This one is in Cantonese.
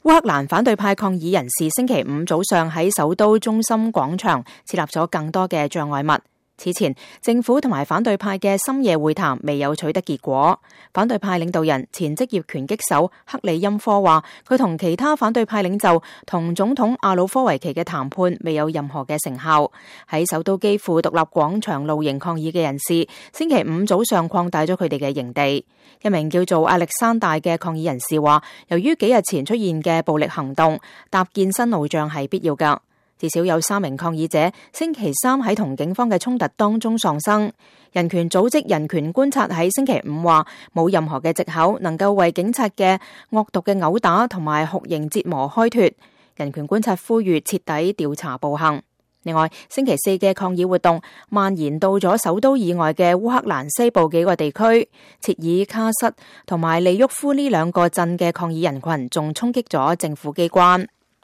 烏克蘭反對派抗議人士星期五早上喺首都中心廣場設立咗更多嘅障礙物。此前，政府同埋反對派嘅深夜會談未有取得結果。反對派領導人前職業拳擊手克里欽科話，佢同其他反對派領袖同總統亞努科維奇嘅談判未有任何嘅成效。喺首都基輔獨立廣場露營抗議嘅人士，星期五早上擴大咗佢哋嘅營地。一名叫做亞歷山大嘅抗議人士話，由於幾日前出現嘅暴力行動，搭建新路障係必要㗎。至少有3名抗議者星期三喺同警方嘅衝突當中喪生。人權組織人權觀察喺星期五話，冇任何嘅藉口能夠為警察嘅惡毒嘅毆打同埋酷刑折磨開脫。人權觀察呼籲徹底調查暴行。另外，星期四嘅抗議活動蔓延到咗首都以外嘅烏克蘭西部幾個地區，切爾卡什同埋利沃夫呢2個鎮嘅抗議人群仲衝擊咗政府機關。